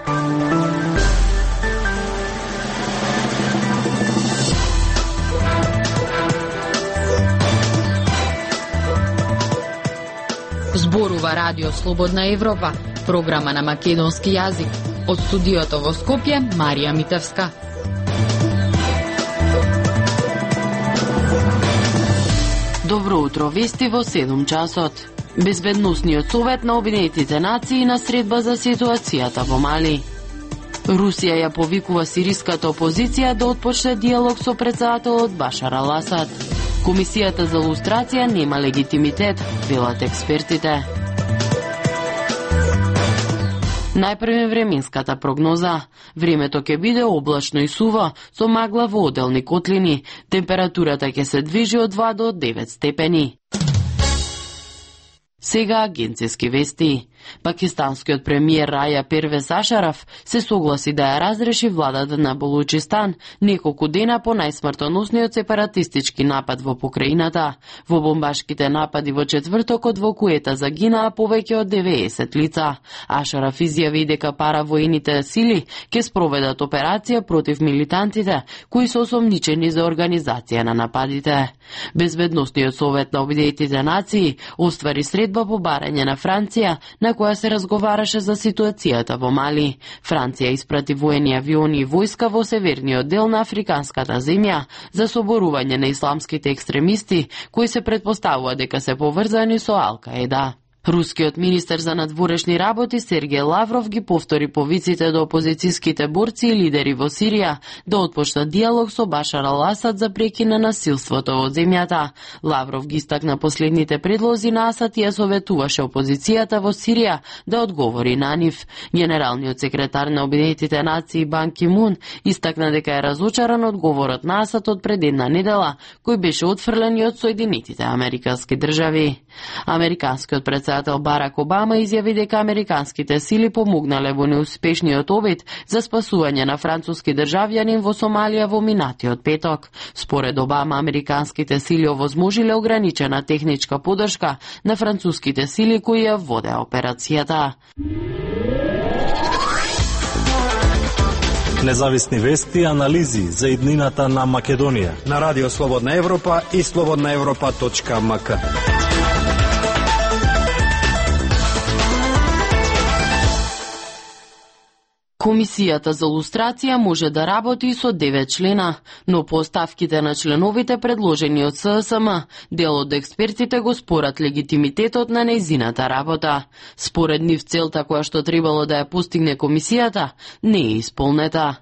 Зборува Радио Слободна Европа, програма на македонски јазик. Од студиото во Скопје, Марија Митевска. Добро утро, вести во 7 часот. Безбедносниот совет на Обединетите нации на средба за ситуацијата во Мали. Русија ја повикува сириската опозиција да отпочне диалог со претседателот Башар ал-Асад. Комисијата за лустрација нема легитимитет, велат експертите. Најпрво временската прогноза. Времето ќе биде облачно и суво, со магла во одделни котлини. Температурата ќе се движи од 2 до 9 степени. Сега агенцијски вести. Пакистанскиот премиер Раја Первез Ашараф се согласи да ја разреши владата на Балучистан неколку дена по најсмртоносниот сепаратистички напад во покраината. Во бомбашките напади во четвртокот во Куета загинаа повеќе од 90 лица. Ашараф изјави дека паравоените сили ќе спроведат операција против милитантите кои се осомничени за организација на нападите. Безбедносниот совет на Обединетите нации оствари средба по барање на Франција на која се разговараше за ситуацијата во Мали. Франција испрати воени авиони и војска во северниот дел на африканската земја за соборување на исламските екстремисти кои се претпоставува дека се поврзани со Ал-Каеда. Рускиот министер за надворешни работи Сергеј Лавров ги повтори повиците до опозицијските борци и лидери во Сирија да отпочнат диалог со Башар ал-Асад за прекин на насилството во земјата. Лавров ги истакна последните предлози на Асад и ја советуваше опозицијата во Сирија да одговори на нив. Генералниот секретар на Обединетите нации Бан Ки Мун истакна дека е разочаран одговорот на Асад од пред една недела, кој беше отфрлен и од Соединетите американски држави. Американскиот председател Барак Обама изјави дека американските сили помогнале во неуспешниот обид за спасување на француски државјанин во Сомалија во минатиот петок. Според Обама, американските сили овозможиле ограничена техничка поддршка на француските сили кои ја водеа операцијата. Независни вести и анализи за иднината на Македонија на Радио Слободна Европа и slobodnaevropa.mk. Комисијата за лустрација може да работи со 9 члена, но по оставките на членовите предложени од ССМ, дел од експертите го спорат легитимитетот на нејзината работа. Според нив целта која што требало да ја постигне комисијата не е исполнета.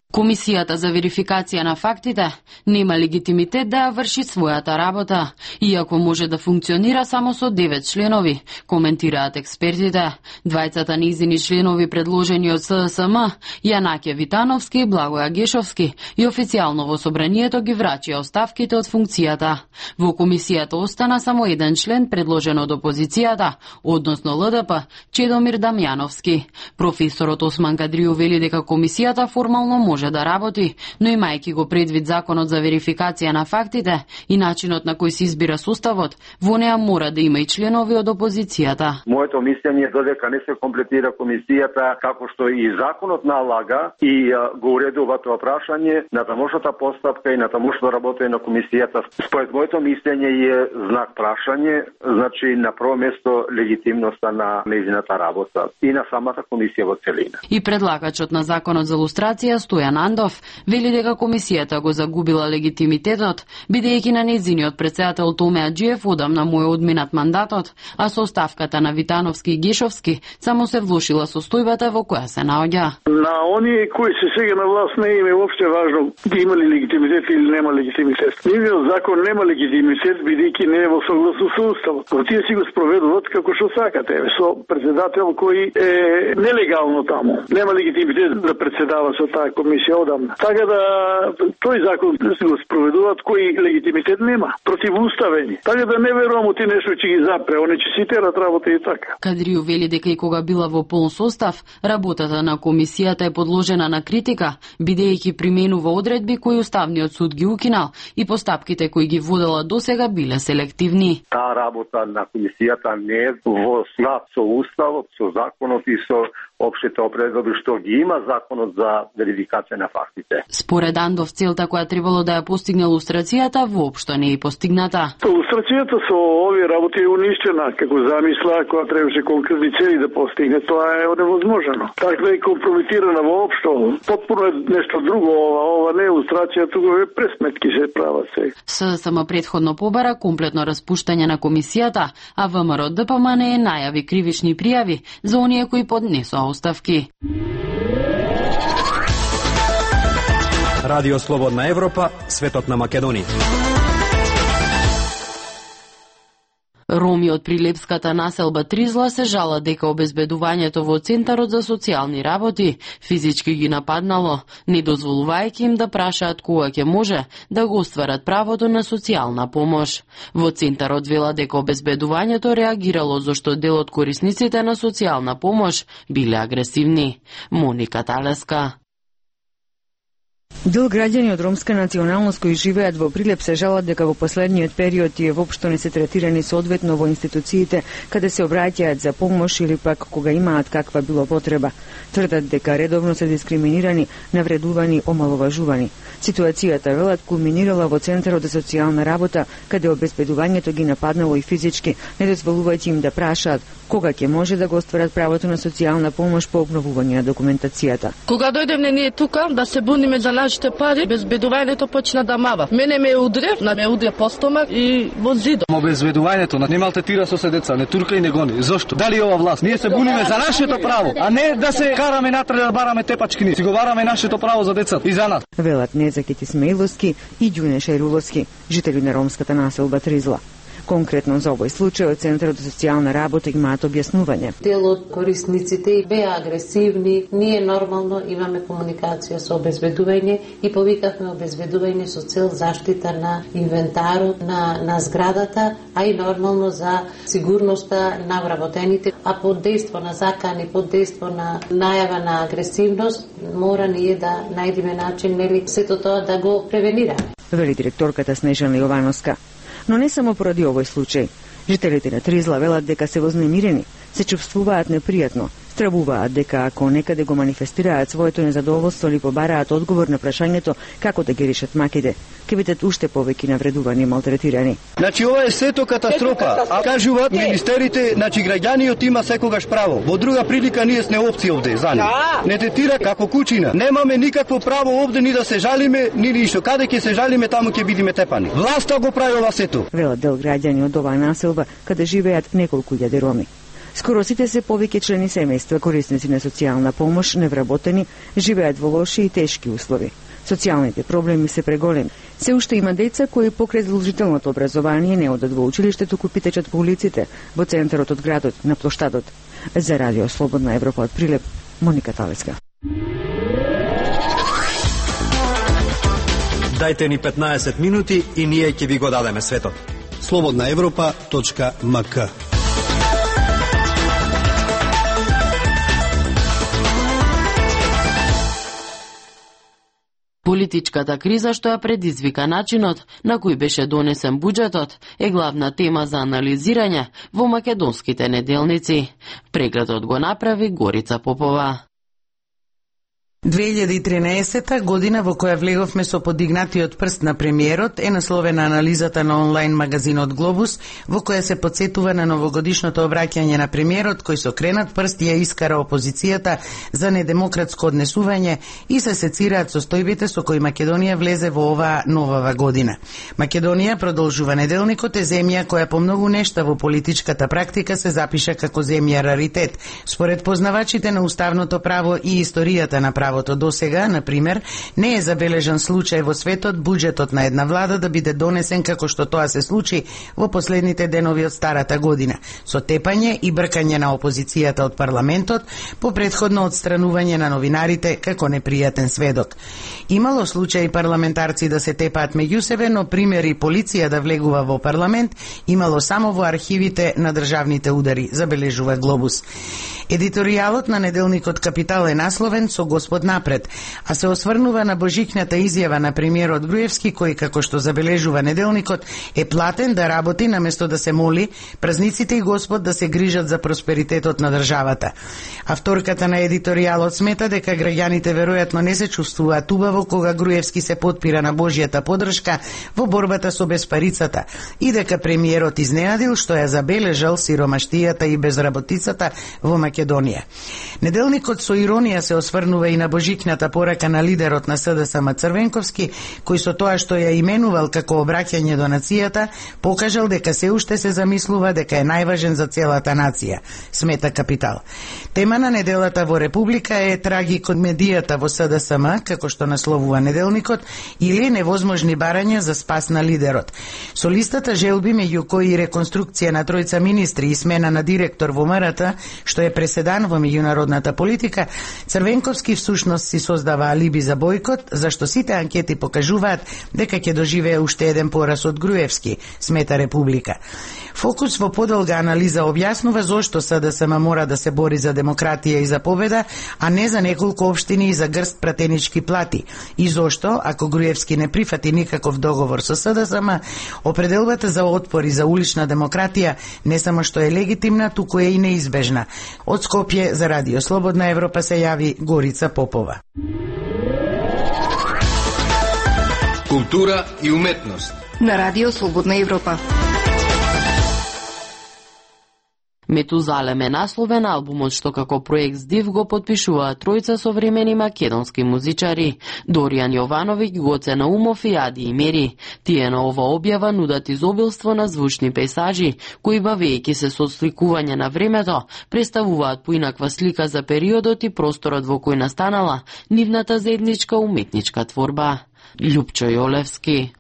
Комисијата за верификација на фактите нема легитимитет да ја врши својата работа, иако може да функционира само со 9 членови, коментираат експертите. Двајцата нејзини членови предложени од ССМ, Јанаке Витановски и Благоја Гешовски, и официјално во собранието ги врачија оставките од функцијата. Во комисијата остана само еден член предложен од опозицијата, односно ЛДП, Чедомир Дамјановски. Професорот Осман Кадрију вели дека комисијата формално може да работи, но имајќи го предвид законот за верификација на фактите и начинот на кој се избира составот, во неа мора да има и членови од опозицијата. Моето мислење е додека не се комплетира комисијата како што и законот налага и го уредува тоа прашање на тамошната постапка и на тамошното работење на комисијата. Според моето мислење е знак прашање, значи на прво место легитимноста на нејзината работа и на самата комисија во целина. И предлагачот на законот за лустрација Стојан Андов вели дека комисијата го загубила легитимитетот, бидејќи на нејзиниот председател Томе Аџиев одамна му е одминат мандатот, а со оставката на Витановски и Гешовски само се влошила состојбата во која се наоѓа. На оние кои се сега на власт не им е воопште важно има ли легитимитет или нема легитимитет. Нивниот закон нема легитимитет бидејќи не е во согласно со уставот. Тие си го спроведуваат како што сакате, со председател кој е нелегално таму. Нема легитимитет да председава со таа комисија. комисија одамна. Така да тој закон се го спроведуваат кој легитимитет нема, противуставен. Така да не верувам у ти нешто ќе ги запре, они ќе си терат работа и така. Кадрију вели дека и кога била во полн состав, работата на комисијата е подложена на критика, бидејќи применува одредби кои Уставниот суд ги укинал и постапките кои ги водела досега биле селективни. Таа работа на комисијата не е во склад со уставот, со законот и со општите опредби што ги има законот за верификација на фактите. Според Андов, целта која требало да ја постигне лустрацијата воопшто не е постигната. Лустрацијата со овие работи е уништена, како замисла која требаше конкретни цели да постигне, тоа е невозможно. Така да е компрометирана воопшто. Потпуно е нешто друго, ова не е лустрација, туку е пресметки се прават се. ССМ претходно побара комплетно распуштање на комисијата, а ВМРО ДПМН најави кривични пријави за оние кои поднесоа оставки. Радио Слободна Европа, светот на Македонија. Роми од прилепската населба Тризла се жала дека обезбедувањето во Центарот за социјални работи физички ги нападнало, не дозволувајќи им да прашаат кога ќе може да го остварат правото на социјална помош. Во Центарот вела дека обезбедувањето реагирало зашто дел од корисниците на социјална помош биле агресивни. Моника Талеска. Дел граѓани од ромска националност кои живеат во Прилеп се жалат дека во последниот период тие воопшто не се третирани соодветно во институциите каде се обраќаат за помош или пак кога имаат каква било потреба. Тврдат дека редовно се дискриминирани, навредувани, омаловажувани. Ситуацијата, велат, кулминирала во Центарот за социјална работа, каде обезбедувањето ги нападнало и физички, не дозволувајќи им да прашаат кога ќе може да го остварат правото на социјална помош по обновување на документацијата. Кога дојдевме ние тука да се буниме за нашите пари, безбедувањето почна да мава. Мене ме удря по стомак и во зидот. Обезбедувањето не малтретира со се деца, не турка и не гони. Зошто? Дали ова власт? Ние се буниме за нашето право, а не да се караме натрале да бараме тепачки. Си го бараме нашето право за децата и за нас. Велат Незакит Исмаиловски и Ѓуне Шајруловски, жители на ромската населба Тризла. Конкретно за овој случај од Центарот за социјална работа имаат објаснување. Дел од корисниците беа агресивни, ние нормално имаме комуникација со обезбедување и повикавме обезбедување со цел заштита на инвентарот на зградата, а и нормално за сигурноста на вработените, а под дејство на закани, под дејство на најава на агресивност, мора ние да најдеме начин нели сето тоа да го превенираме. Вели директорката Снежана Јовановска. Но не само поради овој случај. Жителите на Тризла велат дека се вознемирени, се чувствуваат непријатно, стравуваат дека ако некаде го манифестираат своето незадоволство или побараат одговор на прашањето како да ги решат маките, ќе бидат уште повеќе навредувани и малтретирани. Значи ова е сето катастрофа, а кажуваат министерите, значи граѓаниот има секогаш право. Во друга прилика ние сме опција овде за нив. Не третира како кучина. Немаме никакво право овде ни да се жалиме, ни ништо. Каде ќе се жалиме, таму ќе бидеме тепани. Власта го прави ова сето. Велат дел граѓани од оваа населба каде живеат неколку илјади роми. Скоро сите се повеќе члени семејства корисници на социјална помош, невработени, живеат во лоши и тешки услови. Социјалните проблеми се преголеми. Се уште има деца кои покрај задолжителното образование не одат во училиште, туку питечат по улиците, во центарот од градот, на плоштадот. За Радио Слободна Европа од Прилеп, Моника Талеска. Дајте ни 15 минути и ние ќе ви го дадеме светот. slobodnaevropa.mk. Политичката криза што ја предизвика начинот на кој беше донесен буџетот е главна тема за анализирање во македонските неделници. Прегледот го направи Горица Попова. 2013 година во која влеговме со подигнатиот прст на премиерот е насловена анализата на онлайн магазинот Глобус, во која се подсетува на новогодишното обраќање на премиерот кој со кренат прст ја искара опозицијата за недемократско однесување и се сецираат состојбите со кои Македонија влезе во оваа новава година. Македонија, продолжува неделникот, е земја која по многу нешта во политичката практика се запиша како земја раритет, според познавачите на уставното право и историјата на право. правото. Досега, на пример, не е забележан случај во светот буџетот на една влада да биде донесен како што тоа се случи во последните денови од старата година, со тепање и бркање на опозицијата од парламентот по претходно отстранување на новинарите како непријатен сведок. Имало случаи парламентарци да се тепаат меѓу себе, но примери полиција да влегува во парламент имало само во архивите на државните удари, забележува Глобус. Едиторијалот на неделникот Капитал е насловен со Господ напред, а се осврнува на божикната изјава на премиерот Груевски, кој, како што забележува неделникот, е платен да работи наместо да се моли празниците и Господ да се грижат за просперитетот на државата. Авторката на едиторијалот смета дека граѓаните веројатно не се чувствуваат убаво кога Груевски се потпира на Божјата поддршка во борбата со безпарицата и дека премиерот изненадил што ја забележал сиромаштијата и безработицата во Македонија. Неделникот со иронија се осврнува и на божикната порака на лидерот на СДСМ Црвенковски, кој со тоа што ја именувал како обраќање до нацијата, покажал дека се уште се замислува дека е најважен за целата нација, смета Капитал. Тема на неделата во Република е трагикомедијата во СДСМ, како што насловува неделникот, или невозможни барања за спас на лидерот. Со листата желби, меѓу кои реконструкција на тројца министри и смена на директор во МРТ, што е преседан во меѓународната политика, Црвенковски всушност си создава алиби за бојкот, зашто сите анкети покажуваат дека ќе доживее уште еден пораз од Груевски, смета Република. Фокус во подолга анализа објаснува зошто СДСМ мора да се бори за демократија и за победа, а не за неколку општини и за грст пратенички плати. И зошто, ако Груевски не прифати никаков договор со СДСМ, определбата за отпор и за улична демократија не само што е легитимна, туку е и неизбежна. Од Скопје за Радио Слободна Европа се јави Горица Попова. Култура и уметност на Радио Слободна Европа. Метузалем е насловен албумот што како проект СДИВ го подпишуваат тројца современи македонски музичари: Доријан Јовановиќ, Гоце Наумов и Ади Имери. Тие на ова објава нудат изобилство на звучни пейсажи, кои бавејќи се со сликување на времето, представуваат поинаква слика за периодот и просторот во кој настанала нивната заедничка уметничка творба. Љупчо Јолевски.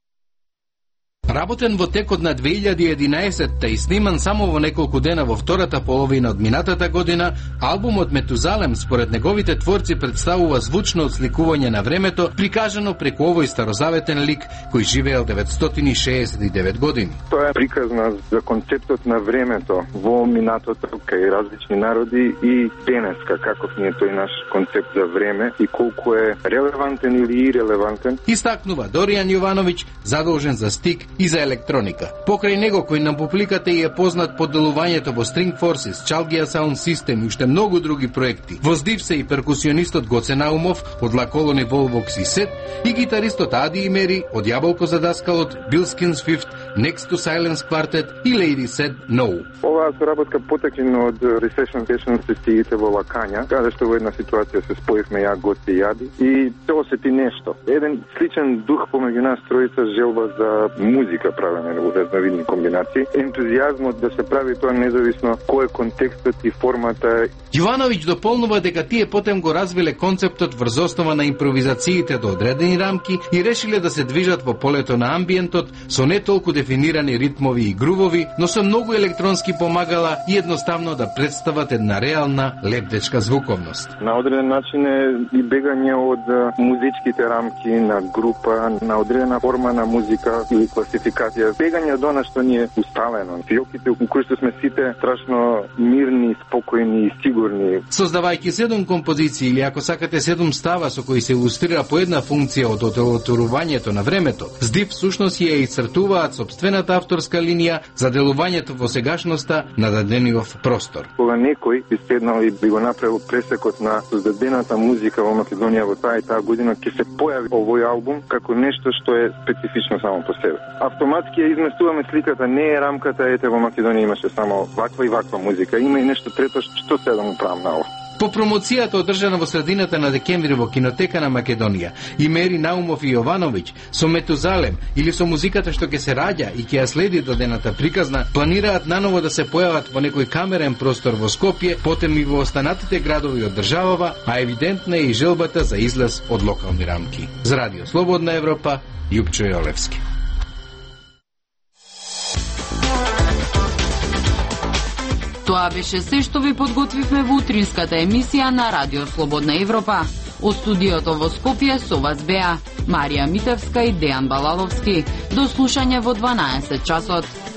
Работен во текот на 2011 и сниман само во неколку дена во втората половина од минатата година, албумот Метузалем според неговите творци представува звучно отсликување на времето, прикажано преку овој старозаветен лик кој живеел 969 години. Тоа е приказна за концептот на времето во минатото кај различни народи и денеска, каков ни е тој наш концепт за време и колку е релевантен или ирелевантен. Истакнува Доријан Јовановиќ, задолжен за стик и за електроника. Покрај него, кој на публиката е познат по делувањето во String Forces, Chalgia Sound System и уште многу други проекти. Во СДИВ се и перкусионистот Гоце Наумов од La Colony Volvox и Set и гитаристот Ади Имери од Јаболко за даскалот, Bilskins Fifth, Next to Silence Quartet и Lady Said No. Оваа соработка потекна од Recession Session сесиите во Лакања, каде што во една ситуација се споивме ја, Гоце и Ади, и се осети нешто. Еден сличен дух помеѓу нас тројца, желба за музика правене во разновидни комбинации, ентузијазмот да се прави тоа независно кој е контекстот и формата. Јовановиќ дополнува дека тие потем го развиле концептот врз основа на импровизациите до одредени рамки и решиле да се движат во полето на амбиентот со не толку дефинирани ритмови и грувови, но со многу електронски помагала и едноставно да представат една реална лебдечка звуковност. На одреден начин е и бегање од музичките рамки на група, на одредена форма на музика или класификација. Бегање од она што ни е усталено. Фиоките у кои што сме сите страшно мирни, спокојни и сигурни. Создавајќи 7 композиции или ако сакате 7 става со кои се илустрира по една функција од оделотурувањето на времето, СДИВ всушност ја исцртуваат собствената авторска линија за делувањето во сегашноста на дадениот простор. Кога некој би седнал и би го направил пресекот на создадената музика во Македонија во таа и таа година, ќе се појави овој албум како нешто што е специфично само по себе. Автоматски ја изместуваме сликата, не е рамката, ете во Македонија имаше само ваква и ваква музика, има и нешто трето што се да му правам на ова. По промоцијата одржана во средината на декември во кинотека на Македонија, и Мери Наумов и Јовановиќ со Метузалем или со музиката што ќе се раѓа и ќе ја следи додената приказна, планираат наново да се појават во некој камерен простор во Скопје, потем и во останатите градови од државава, а евидентна е и желбата за излез од локални рамки. За Радио Слободна Европа, Јупчо Јолевски. Тоа беше се што ви подготвивме во утринската емисија на Радио Слободна Европа. Од студиото во Скопје со вас беа Марија Митевска и Дејан Балаловски. До слушање во 12 часот.